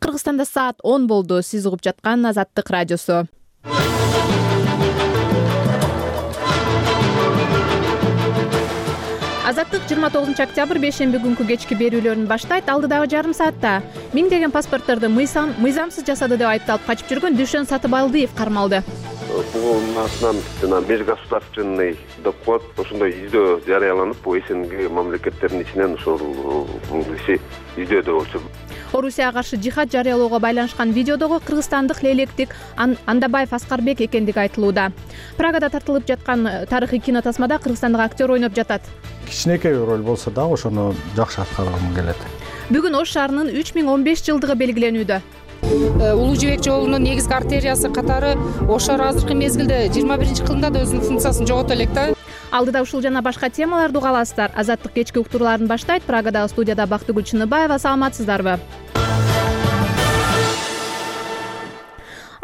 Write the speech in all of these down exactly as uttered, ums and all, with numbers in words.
Кыргызстанда саат он болду. Сиз угуп жаткан Азаттык радиосу. Азаттык жыйырма тогузунчу октябрь бейшемби күнкү кечки берүүлөрүн баштайт. Алдыдагы жарым саатта миңдеген паспортторду мыйзам мыйзамсыз жасады деп айыпталып качып жүргөн Дүйшөн Сатыбалдиев кармалды. Бул атынан жана межгосударственный доклад ошондой издөө жарыяланып, бул СНГ мамлекеттеринин ичинен ушул издөөдө болчу. Орусияга каршы жихад жарыялоого байланышкан видеодогу кыргызстандык лейлектик Андабаев Аскарбек экендиги айтылууда. Прагада тартылып жаткан тарыхый кинотасмада кыргызстандык актер ойноп жатат. Кичинекей роль болсо дагы ошону жакшы аткаргым келет. Бүгүн Ош шаарынын үч миң он беш жылдыгы белгиленүүдө. Улуу жибек жолунун негизги артериясы катары Ош шаары азыркы мезгилде жыйырма биринчи кылымда да өзүнүн функциясын жогото элек да. Алдыда ушул жана башка темаларды уга аласыздар. Азаттык кечки уктурууларын баштайт. Прагадагы студияда Бактыгүл Чыныбаева. Саламатсыздарбы?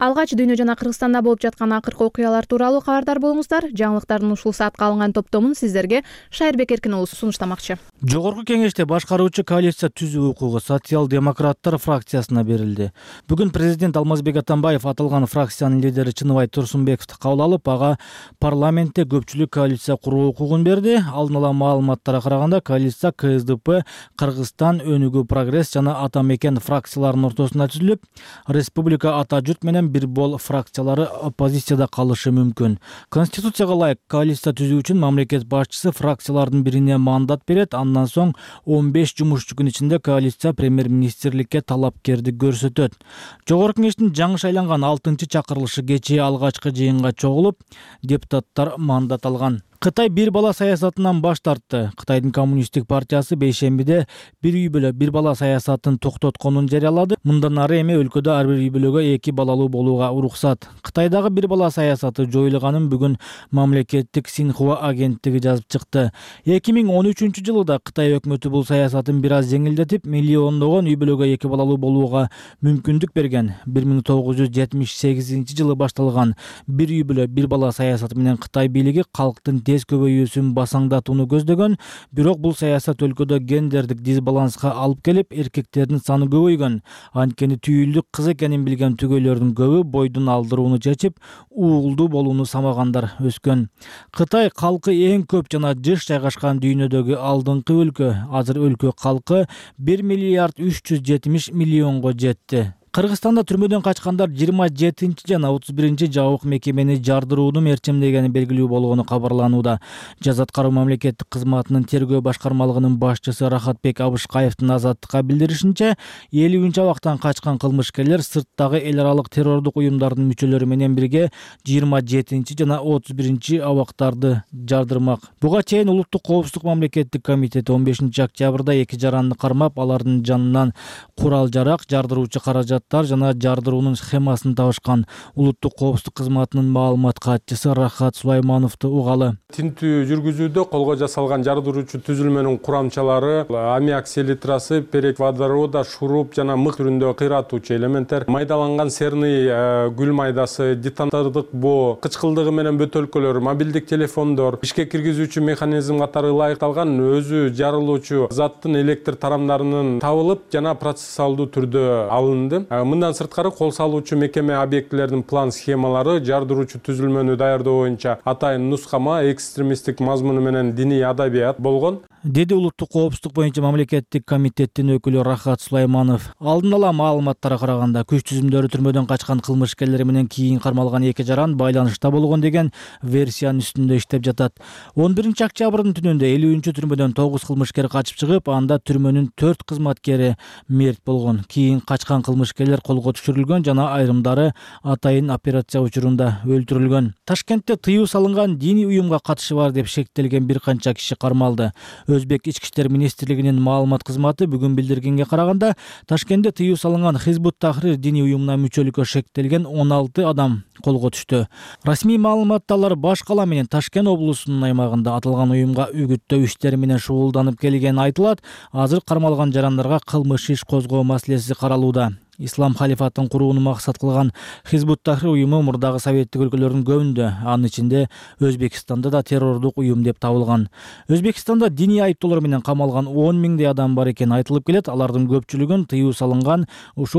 Алгач дүйнө жана Кыргызстанда болуп жаткан акыркы окуялар тууралуу кабардар болуңуздар. Жаңылыктардын ушул саатка алынган топтомун сиздерге Шайырбек Эркин уулу сунуштамакчы. Жогорку кеңеште башкаруучу коалиция түзүү укугу социал-демократтар фракциясына берилди. Бүгүн президент Алмазбек Атамбаев аталган фракциянын лидери Чыныбай Турсунбековду кабыл алып, ага парламентте көпчүлүк коалиция куруу укугун берди. Алдын ала маалыматтарга караганда, коалиция КСДП, Кыргызстан, Өнүгүү Прогресс жана Ата Мекен фракцияларынын ортосунда түзүлүп, Республика Ата Журт менен бир бол фракциялары оппозицияда калышы мүмкүн. Конституцияга ылайык коалиция түзүү үчүн мамлекет башчысы фракциялардын бирине мандат берет. Андан соң он беш жумушчу күн ичинде коалиция премьер-министрликке талапкерди көрсөтөт. Жогорку кеңештин жаңы шайланган алтынчы чакырылышы кечээ алгачкы жыйынга чогулуп, депутаттар мандат алган. Кытай бир бала саясатынан баш тартты. Кытайдын коммунисттик партиясы бейшембиде бир үй бүлө бир бала саясатын токтотконун жарыялады. Мындан ары эми өлкөдө ар бир үй бүлөгө эки балалуу болууга уруксат. Кытайдагы бир бала саясаты жоюлганын бүгүн мамлекеттик Синхуа агенттиги жазып чыкты. эки миң он үчүнчү жылы да Кытай өкмөтү бул саясатын бир аз жеңилдетип, миллиондогон үй бүлөгө эки балалуу болууга мүмкүндүк берген. бир миң тогуз жүз жетимиш сегизинчи жылы башталган бир үй бүлө бир бала саясаты менен Кытай бийлиги калктын тез көбөйүүсүн басаңдатууну көздөгөн, бирок бул саясат өлкөдө гендердик дисбаланска алып келип, эркектердин саны көбөйгөн. Анткени түйүлдүк кыз экенин билген түгөйлөрдүн көбү бойдун алдырууну чечип, уулдуу болууну самагандар өскөн. Кытай калкы эң көп жана жыш жайгашкан дүйнөдөгү алдыңкы өлкө. Азыр өлкө калкы бир миллиард үч жүз жетимиш миллионго жетти. Кыргызстанда түрмөдөн качкандар жыйырма жетинчи жана отуз биринчи жабык мекемени жардырууну мерчемдегени белгилүү болгону кабарланууда. Жаза аткаруу мамлекеттик кызматынын тергөө башкармалыгынын башчысы Рахатбек Абышкаевдин Азаттыкка билдиришинче, элүүнчү абактан качкан кылмышкерлер сырттагы эл аралык террордук уюмдардын мүчөлөрү менен бирге жыйырма жетинчи жана отуз биринчи абактарды жардырмак. Буга чейин Улуттук коопсуздук мамлекеттик комитети он бешинчи октябрда эки жаранды кармап, алардын жанынан курал-жарак, жардыруучу каражат жана жардыруунун схемасын табышкан. Улуттук коопсуздук кызматынын маалымат катчысы Рахат Сулаймановду угалы. Тинтүү жүргүзүүдө колго жасалган жардыруучу түзүлмөнүн курамчалары аммиак селитрасы, перек водорода, шуруп жана мык түрүндө кыйратуучу элементтер, майдаланган серный гүл майдасы, детонатордук боо, кычкылдыгы менен бөтөлкөлөр, мобилдик телефондор, ишке киргизүүчү механизм катары ылайыкталган өзү жарылуучу заттын электр тарамдарынын табылып жана процессуалдуу түрдө алынды. Мындан сырткары кол салуучу мекеме объектилердин план схемалары жардыруучу түзүлмөнү даярдоо боюнча атайын нускама, экстремисттик мазмуну менен диний адабият болгон, деди Улуттук коопсуздук боюнча мамлекеттик комитеттин өкүлү Рахат Сулайманов. Алдын ала маалыматтарга караганда, күч түзүмдөрү түрмөдөн качкан кылмышкерлер менен кийин кармалган эки жаран байланышта болгон деген версиянын үстүндө иштеп жатат. он биринчи октябрдын түнүндө элүүнчү түрмөдөн тогуз кылмышкер качып чыгып, анда түрмөнүн төрт кызматкери мерт болгон. Кийин качкан кылмышкерлер колго түшүрүлгөн жана айрымдары атайын операция учурунда өлтүрүлгөн. Ташкентте тыюу салынган диний уюмга катышы бар деп шектелген бир канча киши кармалды. Өзбек ички иштер министрлигинин маалымат кызматы бүгүн билдиргенге караганда, Ташкентте тыюу салынган Хизбут Тахрир диний уюмуна мүчөлүккө шектелген он алты адам колго түштү. Расмий маалыматта алар Баш кала менен Ташкент облусунун аймагында аталган уюмга үгүттөө иштери менен шугулданып келгени айтылат. Азыр кармалган жарандарга кылмыш иш козгоо маселеси каралууда. Ислам халифатын курууну максат кылган Хизбут Тахрир уюму мурдагы советтик өлкөлөрдүн көбүндө, анын ичинде Өзбекстанда да террордук уюм деп табылган. Өзбекстанда диний айыптоолор менен камалган он миңдей адам бар экени айтылып келет. Алардын көпчүлүгүн тыюу салынган ушул